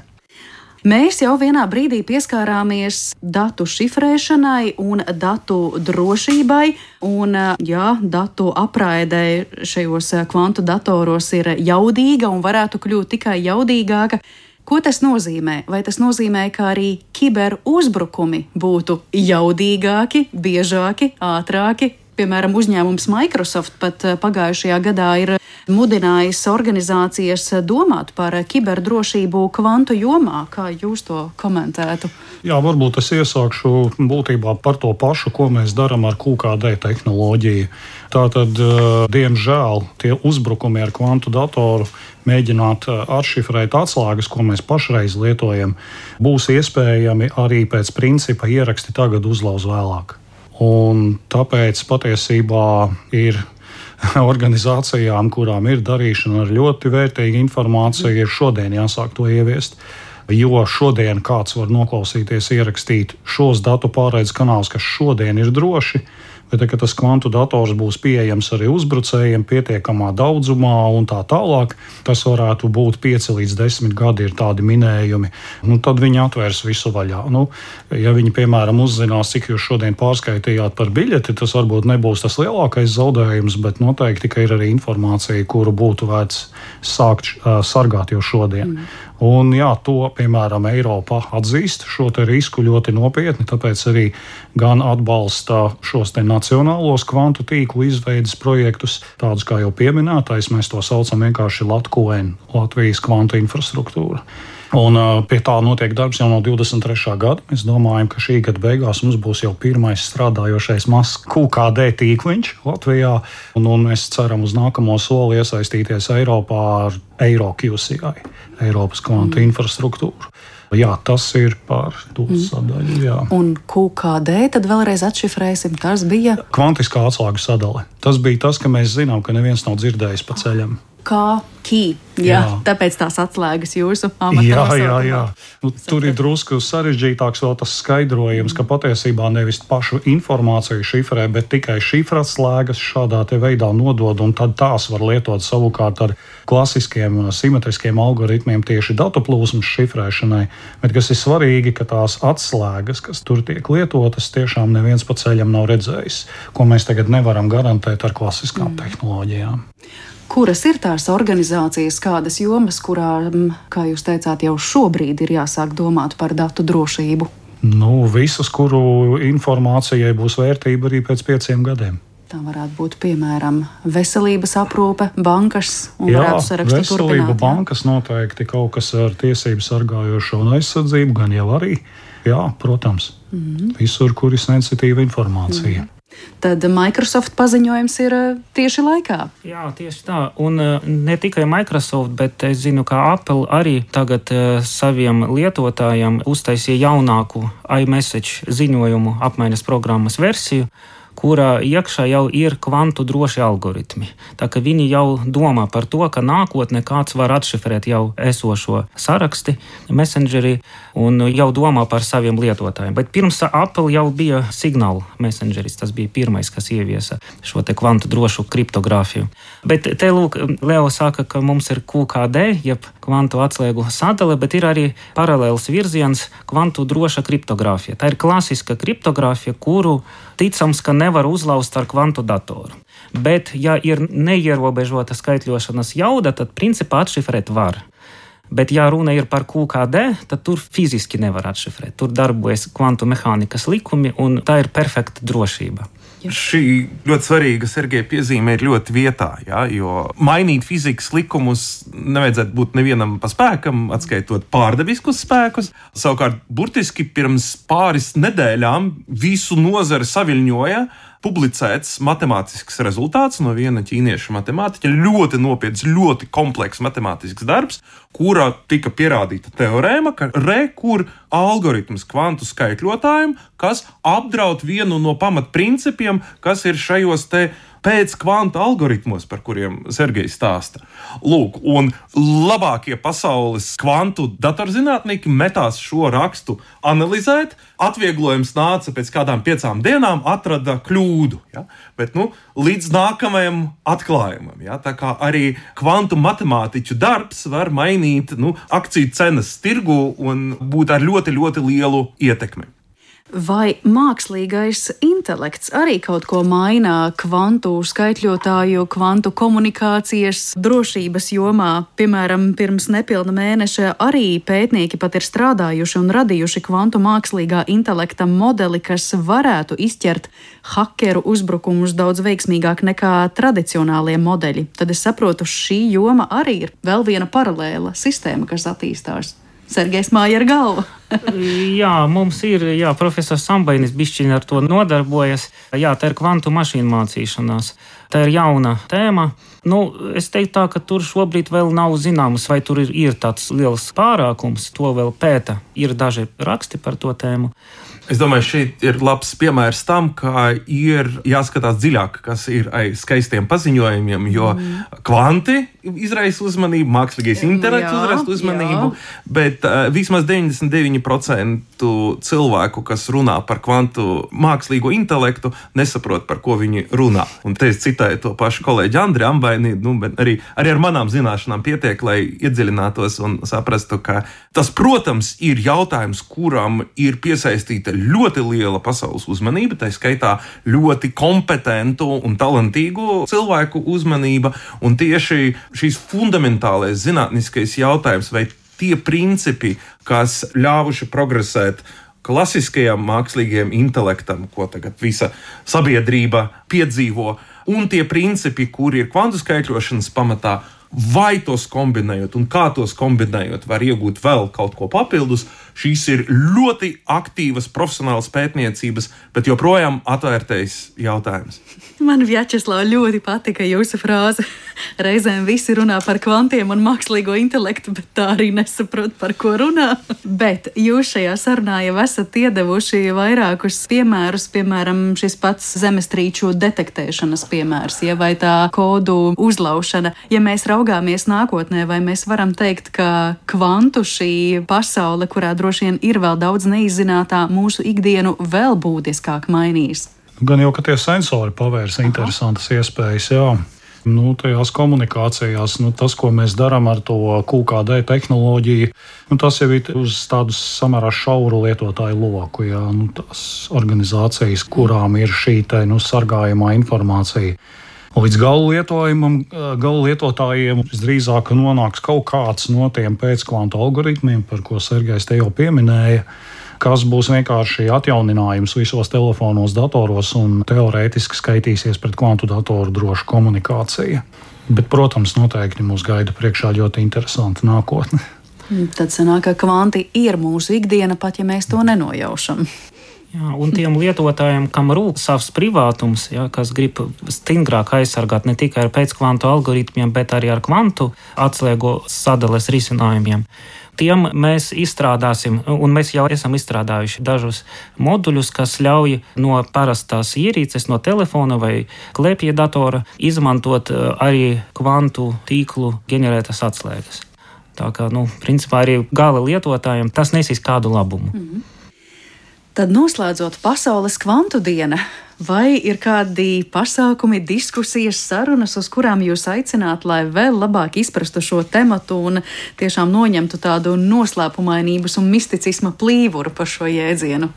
Mēs jau vienā brīdī pieskārāmies datu šifrēšanai un datu drošībai, un datu apraide šajos kvantu datoros ir jaudīga un varētu kļūt tikai jaudīgāka. Ko tas nozīmē? Vai tas nozīmē, ka arī kiberuzbrukumi būtu jaudīgāki, biežāki, ātrāki? Piemēram, uzņēmums Microsoft pat pagājušajā gadā ir mudinājis organizācijas domāt par kiberdrošību kvantu jomā. Kā jūs to komentētu? Jā, varbūt es iesākšu būtībā par to pašu, ko mēs darām ar QKD tehnoloģiju. Tātad, diemžēl, tie uzbrukumi ar kvantu datoru mēģināt atšifrēt atslēgas, ko mēs pašreiz lietojam, būs iespējami arī pēc principa ieraksti tagad, uzlauz vēlāk. Un tāpēc patiesībā ir organizācijām, kurām ir darīšana ar ļoti vērtīgu informāciju, ir šodien jāsāk to ieviest. Jo šodien kāds var noklausīties, ierakstīt šos datu pārraides kanālus, kas šodien ir droši, bet kad tas kvantu dators būs pieejams arī uzbrucējiem pietiekamā daudzumā un tā tālāk, tas varētu būt 5 līdz 10 gadi ir tādi minējumi. Tad viņi atvērs visu vaļā. Ja viņi, piemēram, uzzinās, cik jūs šodien pārskaitījāt par biļeti, tas varbūt nebūs tas lielākais zaudējums, bet noteikti, ka ir arī informācija, kuru būtu vērts sākt sargāt jau šodien. Un to, piemēram, Eiropa atzīst šo te risku ļoti nopietni, tāpēc arī gan atbalsta šos te nacionālos kvantu tīklu izveides projektus, tādus kā jau pieminētais, mēs to saucam vienkārši LATKON, Latvijas kvantu infrastruktūra. Un pie tā notiek darbs jau no 23. gada. Mēs domājam, ka šī gada beigās mums būs jau pirmais strādājošais mazs QKD tīkliņš Latvijā, un mēs ceram uz nākamo soli iesaistīties Eiropā ar EuroQCI, Eiropas kvantu infrastruktūru. Jā, tas ir par to sadaļu. Jā. Un QKD tad vēlreiz atšifrēsim, tas bija? Kvantiskā atslēgu sadale. Tas bija tas, ka mēs zinām, ka neviens nav dzirdējis pa ceļam. Key. Jā, tāpēc tās atslēgas jūsu amatā. Jā. Tur ir drusku sarežģītāks vēl tas skaidrojums, ka patiesībā nevis pašu informāciju šifrē, bet tikai šifratslēgas šādā te veidā nodod, un tad tās var lietot savukārt ar klasiskiem simetriskiem algoritmiem tieši datu plūsmas šifrēšanai. Bet kas ir svarīgi, ka tās atslēgas, kas tur tiek lietotas, tiešām neviens pa ceļam nav redzējis, ko mēs tagad nevaram garantēt ar klasiskām tehnoloģijām. Kuras ir tās organizācijas, kādas jomas, kurām, kā jūs teicāt, jau šobrīd ir jāsāk domāt par datu drošību? Visas, kuru informācijai būs vērtība arī pēc 5 gadiem. Tā varētu būt, piemēram, veselības aprūpe, bankas un varētu sarakstu turpināt. Veselība, bankas noteikti kaut kas ar tiesību sargājošo un aizsardzību, gan jau arī. Jā, protams, visur, kur ir sensitīva informācija. Tad Microsoft paziņojums ir tieši laikā. Jā, tieši tā. Un ne tikai Microsoft, bet es zinu, ka Apple arī tagad saviem lietotājiem uztaisīja jaunāku iMessage ziņojumu apmaiņas programmas versiju, kurā iekšā jau ir kvantu droši algoritmi. Tā ka viņi jau domā par to, ka nākotnē kāds var atšifrēt jau esošo saraksti, messengeri, un jau domā par saviem lietotājiem. Bet pirms Apple jau bija Signal messengeris, tas bija pirmais, kas ieviesa šo te kvantu drošu kriptogrāfiju. Bet te lūk, Leo saka, ka mums ir QKD, jeb kvantu atslēgu sadale, bet ir arī paralēls virziens kvantu droša kriptogrāfija. Tā ir klasiska kriptogrāfija, kuru ticams, ka nevar uzlauzt ar kvantu datoru. Bet, ja ir neierobežota skaitļošanas jauda, tad principā atšifrēt var. Bet, ja runa ir par QKD, tad tur fiziski nevar atšifrēt. Tur darbojas kvantu mehānikas likumi, un tā ir perfekta drošība. Šī ļoti svarīga Sergeja piezīme ir ļoti vietā, ja, jo mainīt fizikas likumus nevajadzētu būt nevienam pa spēkam, atskaitot pārdabiskus spēkus. Savukārt, burtiski pirms pāris nedēļām visu nozari saviļņoja publicēts matemātisks rezultāts no viena ķīniešu matemātiķa, ļoti nopietns, ļoti komplekss matemātisks darbs, kurā tika pierādīta teorēma, ka kur algoritms kvantu skaitļotājiem, kas apdraud vienu no pamatprincipiem, kas ir šajos te pēc kvantu algoritmos, par kuriem Sergejs stāsta. Lūk, un labākie pasaules kvantu datorzinātnieki metās šo rakstu analizēt. Atvieglojums nāca pēc kādām 5 dienām, atrada kļūdu. Ja? Bet līdz nākamajam atklājumam. Ja? Tā kā arī kvantu matemātiķu darbs var mainīt akciju cenas tirgu un būt ar ļoti, ļoti lielu ietekmi. Vai mākslīgais intelekts arī kaut ko maina kvantu skaitļotāju, kvantu komunikācijas drošības jomā? Piemēram, pirms nepilna mēneša arī pētnieki pat ir strādājuši un radījuši kvantu mākslīgā intelekta modeli, kas varētu izķert hakeru uzbrukumus daudz veiksmīgāk nekā tradicionālie modeļi. Tad es saprotu, šī joma arī ir vēl viena paralēla sistēma, kas attīstās. Sergejs māja ar galvu. Jā, mums ir, profesors Sambainis bišķiņ ar to nodarbojas. Jā, tā ir kvantu mašīnu mācīšanās. Tā ir jauna tēma. Es teiktu tā, ka tur šobrīd vēl nav zināms, vai tur ir tāds liels pārākums. To vēl pēta. Ir daži raksti par to tēmu. Es domāju, šeit ir labs piemērs tam, ka ir jāskatās dziļāk, kas ir aiz skaistiem paziņojumiem, jo kvanti izraisa uzmanību, mākslīgais intelekts izraisa uzmanību, bet vismaz 99% cilvēku, kas runā par kvantu mākslīgo intelektu, nesaprot, par ko viņi runā. Un te es citēju to pašu kolēģi Andri Ambaini, bet arī ar manām zināšanām pietiek, lai iedziļinātos un saprastu, ka tas, protams, ir jautājums, kuram ir piesaistīta ļoti liela pasaules uzmanība, tā skaitā ļoti kompetentu un talantīgu cilvēku uzmanība, un tieši šīs fundamentālais zinātniskais jautājums, vai tie principi, kas ļāvuši progresēt klasiskajam mākslīgajam intelektam, ko tagad visa sabiedrība piedzīvo, un tie principi, kuri ir kvantu skaitļošanas pamatā, vai tos kombinējot un kā tos kombinējot var iegūt vēl kaut ko papildus, šīs ir ļoti aktīvas profesionālas pētniecības, bet joprojām atvērtais jautājums. Man, Vjačeslav, ļoti patika jūsu frāze. Reizēm visi runā par kvantiem un mākslīgo intelektu, bet tā arī nesaprot, par ko runā. Bet jūs šajā sarunā jau esat iedevuši vairākus piemērus, piemēram, šis pats zemestrīču detektēšanas piemērs, vai tā kodu uzlaušana. Ja mēs raugāmies nākotnē, vai mēs varam teikt, ka kvantu šī pasaule, kurā droši vien ir vēl daudz neizzinātā, mūsu ikdienu vēl būtiskāk mainīs? Gan jau, ka tie sensori pavērs interesantas iespējas, jā. Tajās komunikācijās, tas, ko mēs darām ar to QKD tehnoloģiju, tas jau ir uz tādu samērā šauru lietotāju loku, jā. Tās organizācijas, kurām ir šī sargājamā informācija. Līdz gala lietotājiem visdrīzāk nonāks kaut kāds no tiem pēckvantu algoritmiem, par ko Sergejs te jau pieminēja, kas būs vienkārši atjauninājums visos telefonos, datoros un teorētiski skaitīsies pret kvantu datoru drošu komunikāciju. Bet, protams, noteikti mūs gaida priekšā ļoti interesanta nākotne. Tad sanāk, ka kvanti ir mūsu ikdiena, pat ja mēs to nenojaušam. Jā, un tiem lietotājiem, kam rūp savs privātums, kas grib stingrāk aizsargāt ne tikai ar pēckvantu algoritmiem, bet arī ar kvantu atslēgu sadales risinājumiem, tiem mēs izstrādāsim, un mēs jau esam izstrādājuši dažus moduļus, kas ļauj no parastās ierīces, no telefona vai klēpja datora izmantot arī kvantu tīklu ģenerētas atslēgas. Tā kā, principā arī gala lietotājiem tas nesīs kādu labumu. Tad noslēdzot pasaules kvantu diena, vai ir kādi pasākumi, diskusijas, sarunas, uz kurām jūs aicināt, lai vēl labāk izprastu šo tematu un tiešām noņemtu tādu noslēpumainības un misticisma plīvuru par šo jēdzienu?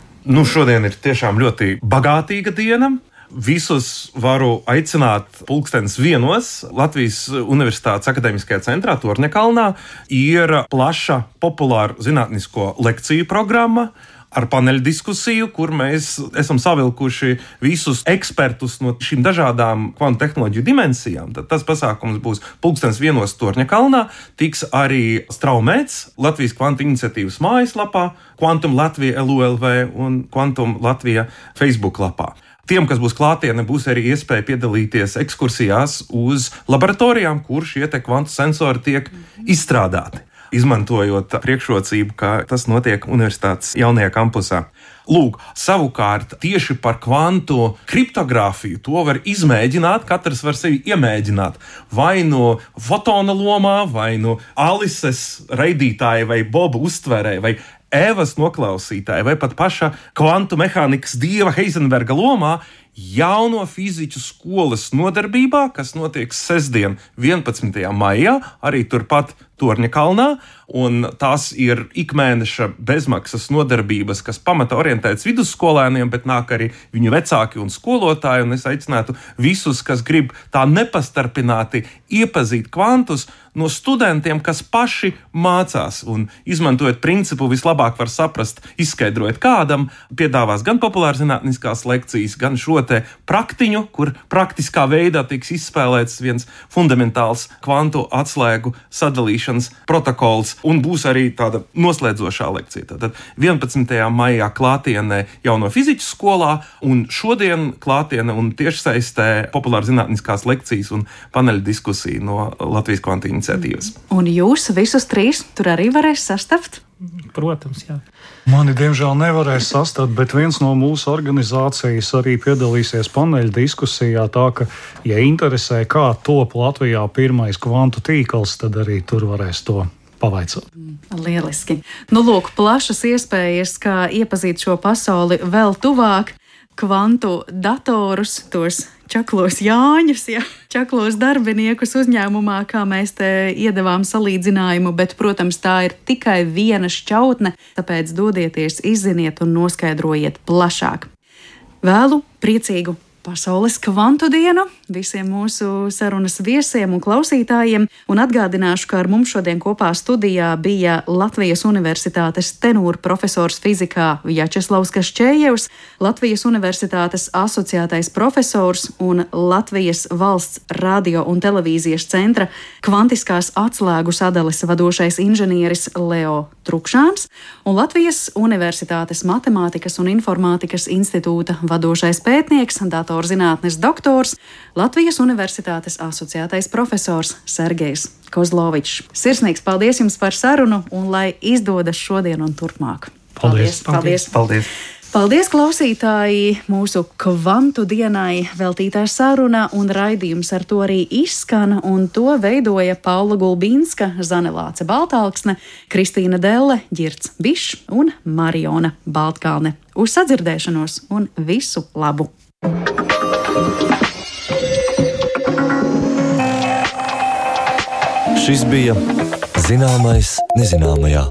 Šodien ir tiešām ļoti bagātīga diena. Visus varu aicināt 1:00 Latvijas Universitātes akadēmiskajā centrā Torņakalnā. Ir plaša populāra zinātnisko lekciju programma ar paneļu diskusiju, kur mēs esam savilkuši visus ekspertus no šīm dažādām kvantu tehnoloģiju dimensijām. Tad tas pasākums būs 1:00 Torņakalnā, tiks arī straumēts Latvijas kvantu iniciatīvas mājaslapā, Quantum Latvija LULV un Quantum Latvija Facebook lapā. Tiem, kas būs klātienē, būs arī iespēja piedalīties ekskursijās uz laboratorijām, kur šie kvantu sensori tiek izstrādāti, izmantojot priekšrocību, ka tas notiek universitātes jaunajā kampusā. Lūk, savukārt tieši par kvantu kriptogrāfiju to var izmēģināt, katrs var sevi iemēģināt. Vai no fotona lomā, vai no Alises raidītāja, vai Boba uztverē, vai Evas noklausītāja, vai pat paša kvantu mehānikas dieva Heisenberga lomā, jauno fiziķu skolas nodarbībā, kas notiek sestdien 11. maijā, arī turpat Torņakalnā, un tās ir ikmēneša bezmaksas nodarbības, kas pamata orientētas vidusskolēniem, bet nāk arī viņu vecāki un skolotāji, un es aicinātu visus, kas grib tā nepastarpināti iepazīt kvantus, no studentiem, kas paši mācās, un izmantojot principu vislabāk var saprast, izskaidrojot kādam, piedāvās gan populārzinātniskās lekcijas, gan šo te praktiņu, kur praktiskā veidā tiks izspēlēts viens fundamentāls kvantu atslēgu sadalīšanas protokols, un būs arī tāda noslēdzošā lekcija. Tātad 11. maijā klātienē jauno fiziķu skolā, un šodien klātiene un tiešsaistē populārzinātniskās lekcijas un paneļa diskusija no Latvijas kvantu iniciatīvas. Un jūs visus trīs tur arī varēs sastapt? Protams, jā. Mani, diemžēl, nevarēs sastapt, bet viens no mūsu organizācijas arī piedalīsies paneļa diskusijā. Tā ka, ja interesē, kā top Latvijā pirmais kvantu tīkls, tad arī tur varēs to pavaicāt. Lieliski. Nu, lūk, plašas iespējas, kā iepazīt šo pasauli vēl tuvāk. Kvantu datorus, tos čaklos Jāņus, čaklos darbiniekus uzņēmumā, kā mēs te iedevām salīdzinājumu, bet, protams, tā ir tikai viena šķautne, tāpēc dodieties, izziniet un noskaidrojiet plašāk. Vēlu priecīgu Pasaules kvantu dienu visiem mūsu sarunas viesiem un klausītājiem, un atgādināšu, ka ar mums šodien kopā studijā bija Latvijas Universitātes tenūra profesors fizikā Vjačeslavs Kašķējevs, Latvijas Universitātes asociētais profesors un Latvijas valsts radio un televīzijas centra kvantiskās atslēgu sadales vadošais inženieris Leo Trukšāns un Latvijas Universitātes matemātikas un informātikas institūta vadošais pētnieks, datorzinātnes doktors, Latvijas Universitātes asociētais profesors Sergejs Kozlovičs. Sirsnīgs paldies jums par sarunu un lai izdodas šodien un turpmāk. Paldies! Paldies! Paldies! Paldies, klausītāji! Mūsu kvantu dienai veltītā saruna un raidījums ar to arī izskan, un to veidoja Paula Gulbīnska, Zane Lāce Baltālksne, Kristīna Delle, Ģirds Bišs un Mariona Baltkalne. Uz sadzirdēšanos un visu labu! Šis bija Zināmais nezināmajā.